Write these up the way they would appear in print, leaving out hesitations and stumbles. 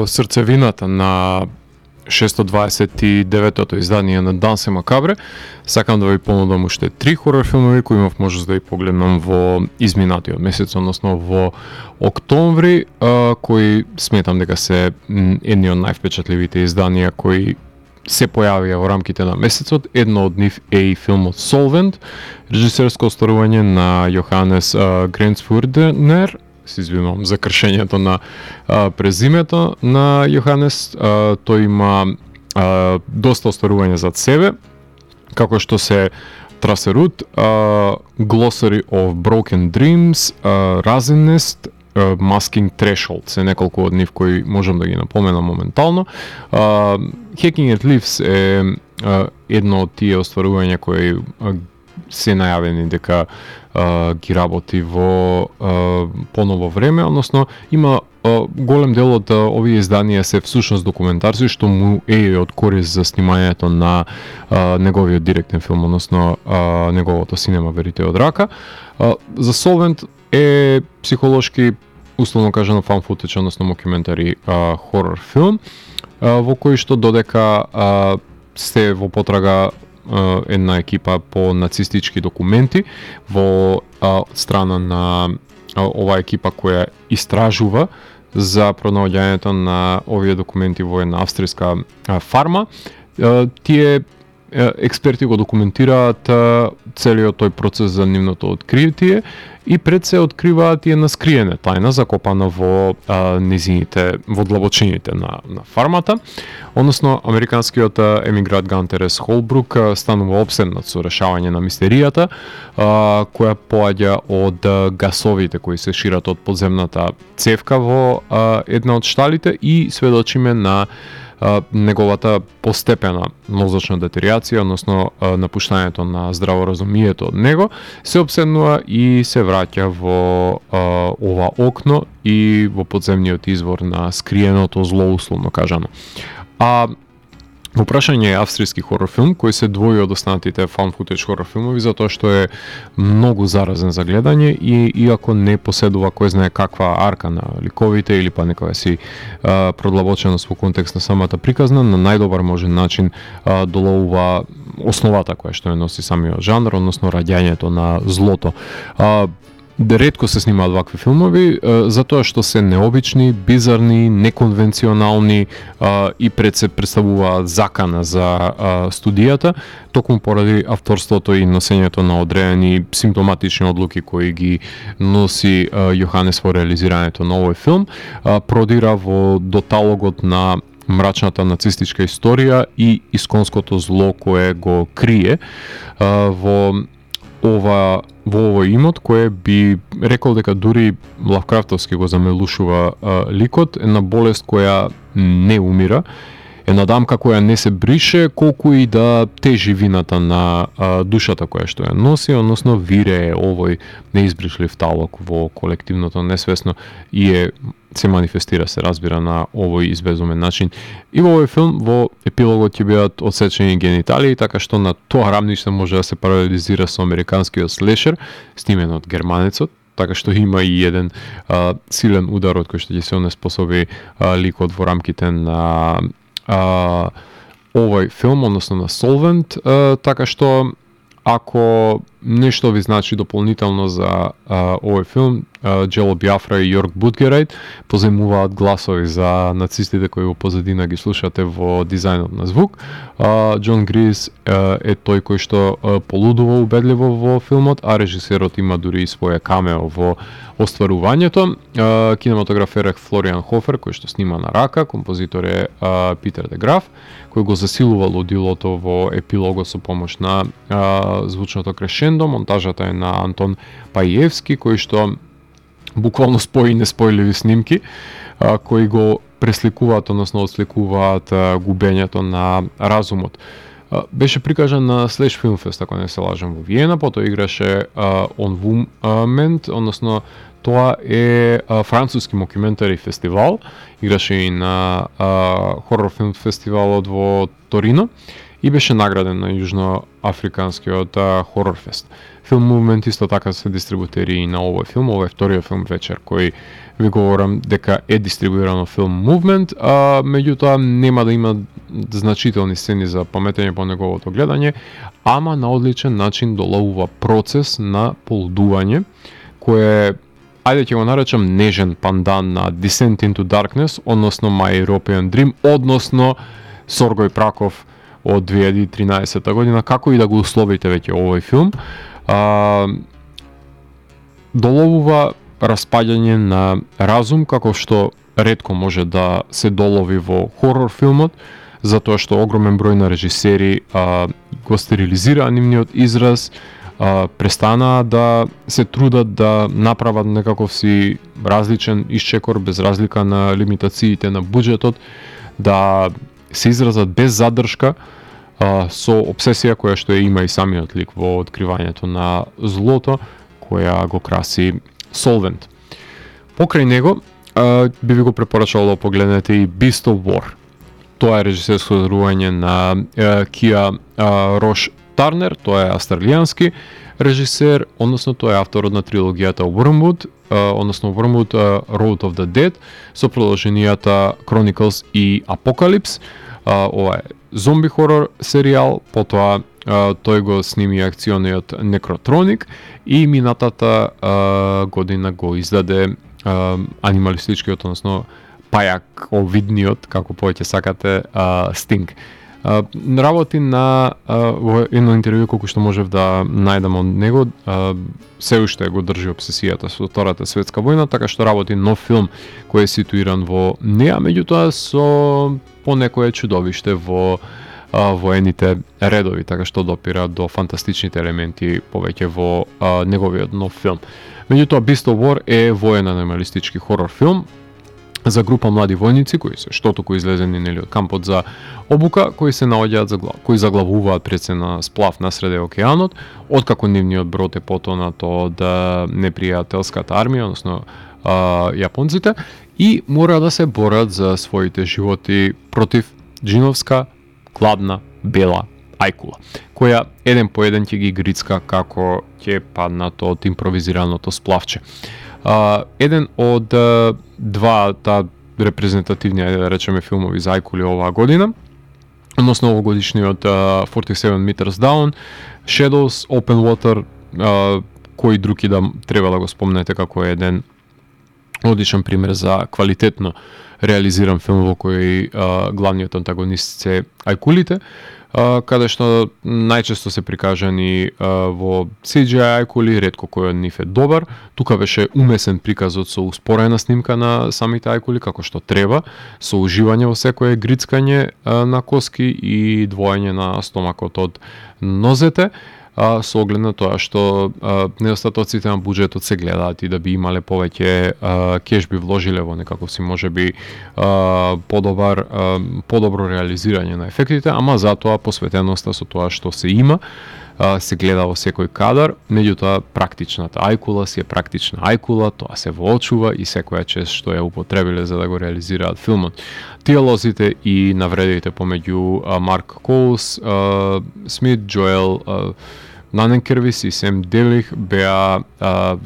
срцевината на 629-тото издание на Дансе Макабре, сакам да ви понудам уште 3 хорор филмови кои имав можност да ги погледнам во изминатиот месец, односно во октомври, кои сметам дека се едни од највпечатливите изданија кои се појавија во рамките на месецот. Едно од нив е и филмот Solvent, режисерско остварување на Јоханес Гренцфурднер. Се извинувам за кршењето на презимето на Јоханес. Тој има доста остварување зад себе, како што се Трасерут, Glossary of Broken Dreams, Razinest, Masking Threshold, се неколку од нив кои можам да ги напоменам моментално. Hacking at Leaves е едно од тие остварувања кои се најавени дека ги работи во поново време, односно има голем дел од овие изданија се всушност документарци, што му е од корист за снимањето на неговиот директен филм, односно неговото Cinema Verite од рака. За Solvent е психолошки, условно кажано, фан футеж, односно мокюментари хорор филм, во кој што додека сте во потрага една екипа по нацистички документи во страна на оваа екипа која истражува за пронаоѓањето на овие документи во една австријска фарма. Тие експерти го документираат целиот тој процес за нивното откритие и пред се откриваат и една скриена тајна закопана во низините, во длабочините на фармата. Односно, американскиот емигрант Гантерес Холбрук станува обседнат со решавање на мистеријата, која поаѓа од гасовите кои се шират од подземната цевка во една од шталите и сведочиме на неговата постепена мозочна детеријација, односно напуштањето на здраворазумието од него, се обседнува и се враќа во ова окно и во подземниот извор на скриеното зло, условно кажано. Во прашање е австријски хорор филм кој се двои од останатите фан футеж хорор филмови затоа што е многу заразен за гледање и иако не поседува кој знае каква арка на ликовите или па некоја си продлабоченост во контекст на самата приказна, на најдобар можен начин доловува основата која што ја носи самиот жанр, односно раѓањето на злото. Ретко се снимаат вакви филмови, затоа што се необични, бизарни, неконвенционални и пред се представуваат закана за студијата, токму поради авторството и носењето на одредени симптоматични одлуки кои ги носи Јоханес во реализирањето на овој филм, продира во доталогот на мрачната нацистичка историја и исконското зло кое го крие во овој имот, кое би рекол дека дури Лавкрафтовски го замелушува ликот, една болест која не умира, една дамка која не се брише, колку и да тежи вината на душата која што ја носи, односно вирее овој неизбришлив талок во колективното несвесно и се манифестира, се разбира, на овој избезумен начин. И во овој филм, во епилогот ќе бидат одсечени гениталии, така што на тоа рамниште може да се паралелизира со американскиот слешер, снимен од германецот, така што има и еден силен удар од кој што ќе се онеспособи ликот во рамките на овој филм, односно на Solvent, така што ако нешто ви значи дополнително за овој филм, Джело Биафра и Јорк Будгерайт поземуваат гласови за нацистите кои во позадина ги слушате во дизајнот на звук. Џон Грис е тој кој што полудува убедливо во филмот, а режисерот има дури и своја камео во остварувањето. Кинематографер е Флориан Хофер, кој што снима на рака, композитор е Питер де Граф, кој го засилува лудилото во епилогот со помош на звучното крешендо. Монтажата е на Антон Пајевски, кој што буквално спои неспојливи снимки кои го пресликуваат, односно отсликуваат губењето на разумот. Беше прикажан на Слеш Филмфест, ако не се лажам, во Виена, потоа играше On Woment, односно тоа е француски мокюментари фестивал, играше и на хорор филм фестивалот во Торино и беше награден на Јужноафриканскиот хорор фест. Film Movement исто така се дистрибутери и на овој филм, овој е вториот филм вечер кој ви говорам дека е дистрибуирано филм Movement, меѓутоа нема да има значителни сцени за паметење по неговото гледање, ама на одличен начин доловува процес на полудување, кое ајде ќе го наречам нежен пандан на Descent into Darkness, односно My European Dream, односно Соргој Праков од 2013 година, како и да го условите веќе овој филм, доловува распаѓање на разум, како што ретко може да се долови во хорор филмот, затоа што огромен број на режисери го стерилизира нивниот израз, престанаа да се трудат да направат некаков си различен исчекор без разлика на лимитациите на буџетот, да се изразат без задршка, со обсесија која што ја има и самиот лик во откривањето на злото, која го краси Solvent. Покрај него, би ви го препорачал да погледнете и Beast of War. Тоа е режисерско одрување на Кија Рош Тарнер, тоа е австралијански режисер, односно тоа е авторот на трилогијата Wormwood, односно Wormwood Road of the Dead, со продолженијата Chronicles и Apocalypse. Ова е зомби хорор серијал, потоа тој го сними акциониот Necrotronic и минатата година го издаде анималистичкиот, односно пајаковидниот, како повеќе сакате, Sting. Работи на во едно интервју колку што можев да најдам од него, се уште го држи обсесијата со Втората светска војна, така што работи нов филм кој е ситуиран во неа, меѓутоа со понекое чудовиште во воените редови, така што допира до фантастичните елементи повеќе во неговиот нов филм. Меѓутоа Beast of War е воен анималистички хорор филм за група млади војници кои се штотоку излезени нели од кампот за обука, кои се наоѓаат кои заглавуваат пред се на сплав насреде океанот, откако нивниот брод е потонат од непријателската армија, односно јапонците, и мора да се борат за своите животи против джиновска гладна бела ајкула, која еден по еден ќе ги грицка како ќе паднат од импровизираното сплавче. Еден од двата репрезентативни, да речеме, филмови за ајкули оваа година, односно овогодишниот 47 Meters Down, Shadows, Open Water, кој други да треба да го спомнете како еден одличен пример за квалитетно реализиран филм во кој главниот антагонист се ајкулите, каде што најчесто се прикажани во CGI ајкули, ретко кој од нив е добар. Тука беше умесен приказот со успорена снимка на самите ајкули, како што треба, со уживање во секое грицкање на коски и двоење на стомакот од нозете, со оглед на тоа што недостатоците на буџетот се гледаат и да би имале повеќе кеш би вложиле во некаков си можеби подобро реализирање на ефектите, ама затоа посветеноста со тоа што се има се гледа во секој кадар, меѓутоа практичната ајкула си е практична ајкула, тоа се воочува и секоја чест што ја употребиле за да го реализираат филмот. Диалозите и навредите помеѓу Марк Коулс, Смит, Джоел Наненкервис и Сем Делих беа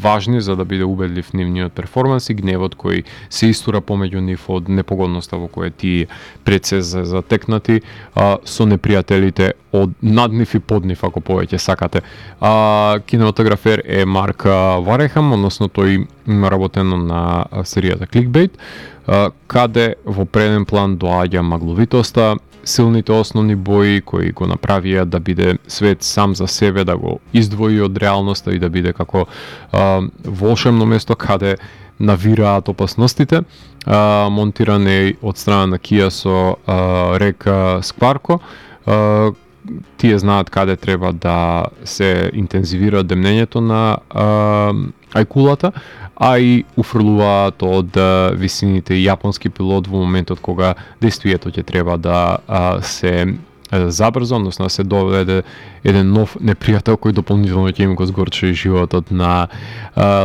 важни за да биде убедлив нивниот перформанс и гневот кој се истура помеѓу нив од непогодноста во која тие пред се затекнати со непријателите од над нив и под нив, ако повеќе сакате. Кинематографер е Марк Варехам, односно тој има работено на серијата Clickbait, каде во преден план доаѓа магловитоста, силните основни бои кои го направија да биде свет сам за себе, да го издвои од реалноста и да биде како волшебно место каде навираат опасностите. Монтиран е од страна на Кија со река Скварко. Тие знаат каде треба да се интензивира демнењето на ајкулата, а и уфрлуваат од висините јапонски пилот во моментот кога действието ќе треба да се забрза, односно да се доведе еден нов непријател кој дополнително ќе им го згорчи животот на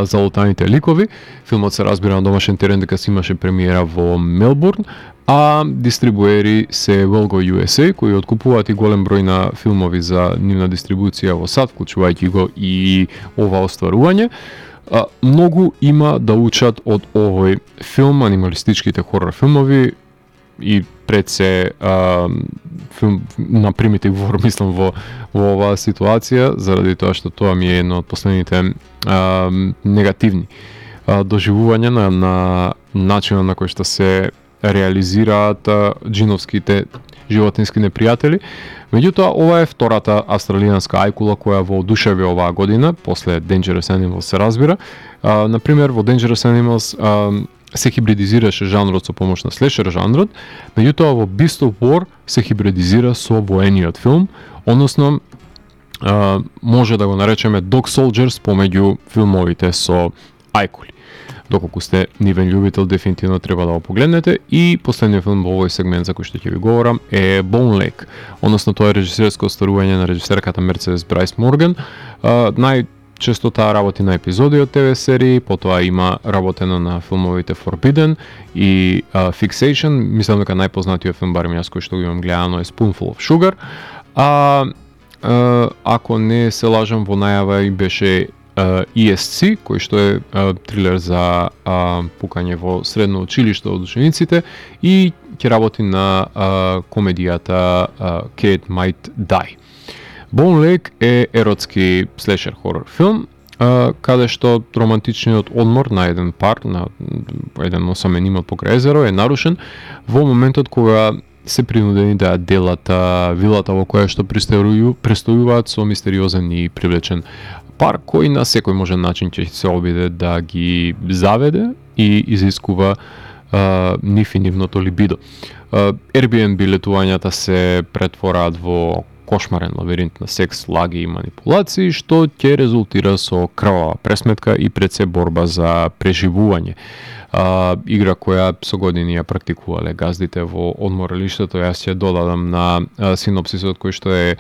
залутаните ликови. Филмот се разбира на домашен терен дека се имаше премиера во Мелбурн, а дистрибуери се Велго USA, кои откупуваат и голем број на филмови за нивна дистрибуција во САД, вклучувајќи го и ова остварување. Многу има да учат од овој филм, анималистичките хорор филмови, и пред се филм на Primitive War, мислам, во оваа ситуација, заради тоа што тоа ми е едно од последните негативни доживувања на начинот на кој што се реализираат джиновските животински непријатели. Меѓутоа, ова е втората австралијанска ајкула која воодушеви оваа година, после Dangerous Animals се разбира. Например, во Dangerous Animals се хибридизираше жанрот со помош на слешер жанрот, меѓутоа во Beast of War се хибридизира со воениот филм, односно може да го наречеме Dog Soldiers помеѓу филмовите со ајкули. Доколку сте нивен љубител, дефинитивно треба да го погледнете. И последниот филм во овој сегмент за кој што ќе ви говорам е Bone Lake, односно тоа е режисерско остварување на режисерката Мерцедес Брайс Морган. Најчесто таа работи на епизоди од ТВ серии, потоа има работено на филмовите Forbidden и Fixation. Мислам дека најпознатиот филм, барем јас кој што го имам гледано, е Spoonful of Sugar. Ако не се лажам, во најава и беше ESC, кој што е трилер за пукање во средно училиште од учениците, и ќе работи на комедијата Kate Might Die. Bone Lake е еротски слешер хорор филм, каде што романтичниот одмор на еден пар, на еден осамен имот покрај езеро е нарушен во моментот кога се принудени да делат вилата во која што престојуваат со мистериозен и привлечен пар кој на секој можен начин ќе се обиде да ги заведе и изискува нив и нивното либидо. Airbnb летувањата се претвораат во кошмарен лабиринт на секс, лаги и манипулации, што ќе резултира со крвава пресметка и пред се борба за преживување. Игра која со години ја практикувале газдите во одморалиштето. Јас ќе додадам на синопсисот кој што е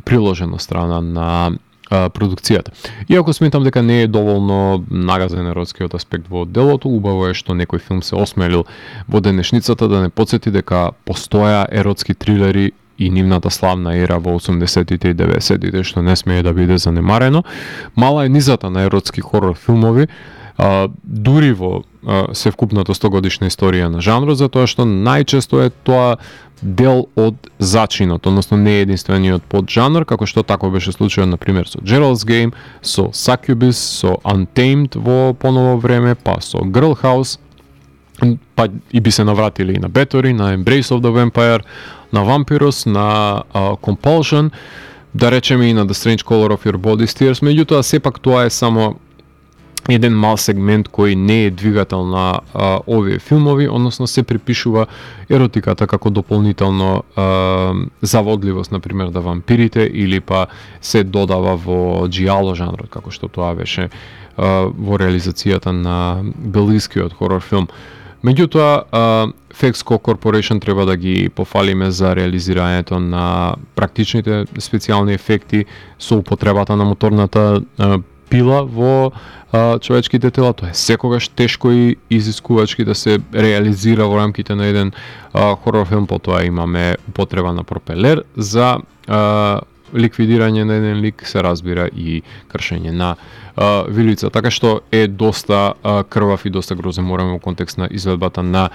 приложен од страна на продукцијата. Иако сметам дека не е доволно нагазен еротскиот аспект во делото, убаво е што некој филм се осмелил во денешницата да не потсети дека постоја еротски трилери и нивната славна ера во 80-тите и 90-тите, што не смее да биде занемарено. Мала е низата на еротски хорор филмови, дури во севкупната 100-годишна историја на жанрот, затоа што најчесто е тоа дел од зачинот, односно не е единствениот поджанр, како што тако беше случајот на пример со Gerald's Game, со Succubus, со Untamed во поново време, па со Girl House, па и би се навратили и на Bathory, на Embrace of the Vampire, на Vampirus, на Compulsion, да речеме и на The Strange Color of Your Body Steers. Меѓутоа сепак тоа е само еден мал сегмент кој не е двигател на овие филмови, односно се припишува еротиката како дополнително заводливост, например, да вампирите, или па се додава во джиало жанрот, како што тоа беше во реализацијата на белгискиот хорор филм. Меѓутоа, Fexco Corporation треба да ги пофалиме за реализирањето на практичните специјални ефекти со употребата на моторната пила во човечките тела. Тоа е секогаш тешко и изискувачки да се реализира во рамките на еден хорор филм. Потоа имаме употреба на пропелер за ликвидирање на еден лик, се разбира и кршење на вилица, така што е доста крвав и доста грозен мораме во контекст на изведбата на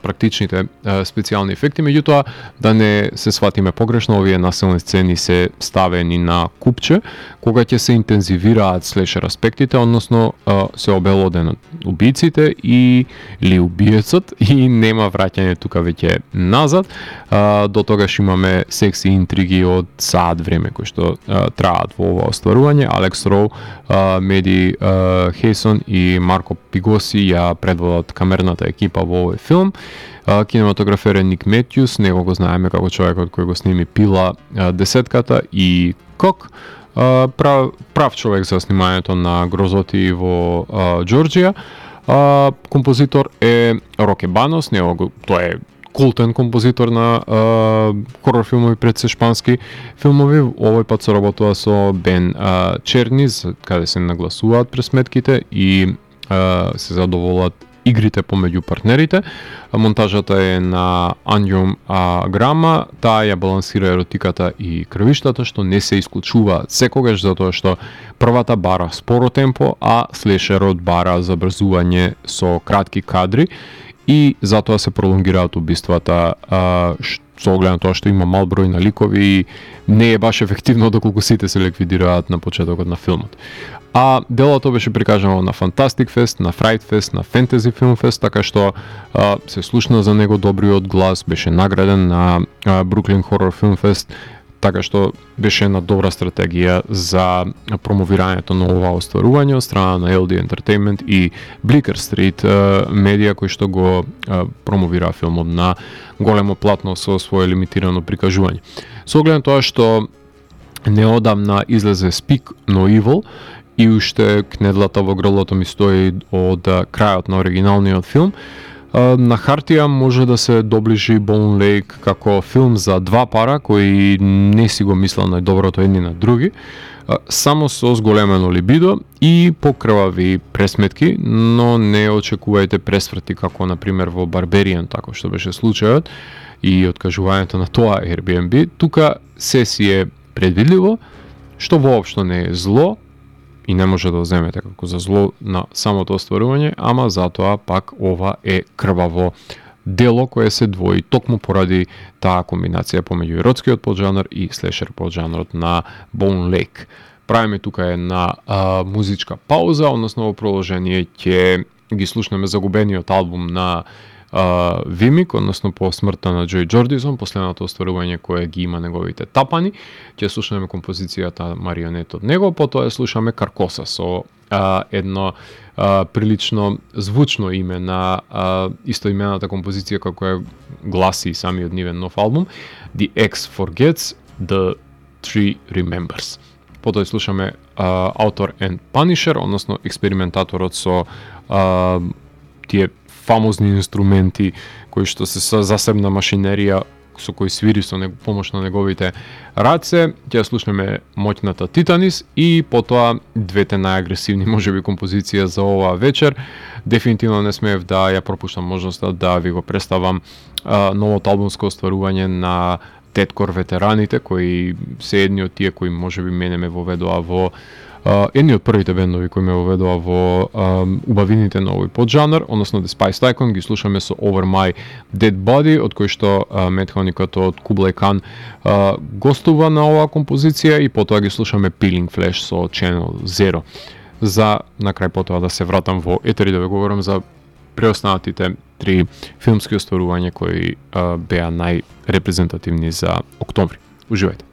практичните специјални ефекти. Меѓутоа, да не се сватиме погрешно, овие насилни сцени се ставени на купче кога ќе се интензивираат слешер аспектите, односно се обелоденат убиците или убиецот и нема враќање тука веќе назад. До тогаш имаме секси интриги од саат време кои што траат во ова остварување. Алекс Роу, Меди Хейсон и Марко Пигоси ја предводат камерната екипа во овој филм. Кинематографер е Ник Метјус, него го знаеме како човекот кој го сними Пила, Десетката и Кок. Прав човек за снимањето на Грозоти во Џорџија. Композитор е Роке Банос, тоа е култен композитор на хорор филмови пред се шпански филмови. Овој пат се работува со Бен Черниз, каде се нагласуваат пресметките и се задоволат игрите помеѓу партнерите. Монтажата е на Анјум Грама, таа ја балансира еротиката и крвиштата, што не се исклучуваат секогаш, затоа што првата бара споро темпо, а слешерот бара забрзување со кратки кадри и затоа се пролонгираат убиствата, со оглед на тоа што има мал број на ликови и не е баш ефективно доколку сите се ликвидираат на почетокот на филмот. А делото беше прикажано на Fantastic Fest, на Fright Fest, на Fantasy Film Fest, така што се слушна за него добриот глас, беше награден на Brooklyn Horror Film Fest, така што беше една добра стратегија за промовирањето на ова остварување од страна на LD Entertainment и Bleecker Street медија кои што го промовира филмот на големо платно со свое лимитирано прикажување. Со оглед на тоа што неодамна излезе Speak No Evil и уште кнедлата во грлото ми стои од крајот на оригиналниот филм, на хартија може да се доближи Bone Lake како филм за два пара кои не си го мислел најдоброто едни на други, само со зголемено либидо и покрвави пресметки, но не очекувајте пресврти како на пример во Barbarian, тако што беше случајот и откажувањето на тоа Airbnb. Тука се си е предвидливо, што воопшто не е зло и не може да земете како за зло на самото остварување, ама затоа пак ова е крваво дело кое се двои токму поради таа комбинација помеѓу еротскиот поджанр и слешер поджанрот на Bone Lake. Правиме тука една музичка пауза, односно во продолжение ќе ги слушнеме загубениот албум на Вимик, односно по смртта на Джој Джордисон, последното остварување кое ги има неговите тапани. Ќе слушаме композицијата Марионет од него, потоа ја слушаме Каркоса со едно прилично звучно име на истоимената композиција како ја гласи самиот нивен нов албум, The X Forgets, The Tree Remembers. Потоа ја слушаме Author and Punisher, односно експериментаторот со тие фамозни инструменти кои што се со засебна машинерија со кои свири со помош на неговите раце. Ќе слушнеме моќната Титанис и потоа двете најагресивни можеби композиција за оваа вечер. Дефинитивно не смеев да ја пропуштам можноста да ви го представам новото албумско остварување на Теткор ветераните, кои се едни од тие кои можеби мене ме воведоа во едни од првите бендови кои ме воведоа во убавините на овој поджанр, односно The Spice Icon, ги слушаме со Over My Dead Body, од кој што метхоникот од Kublai Khan гостува на оваа композиција и потоа ги слушаме Peeling Flash со Channel Zero. За на крај потоа да се вратам во етери да ве говорам за преостанатите три филмски остварувања кои беа најрепрезентативни за октомври. Уживајте!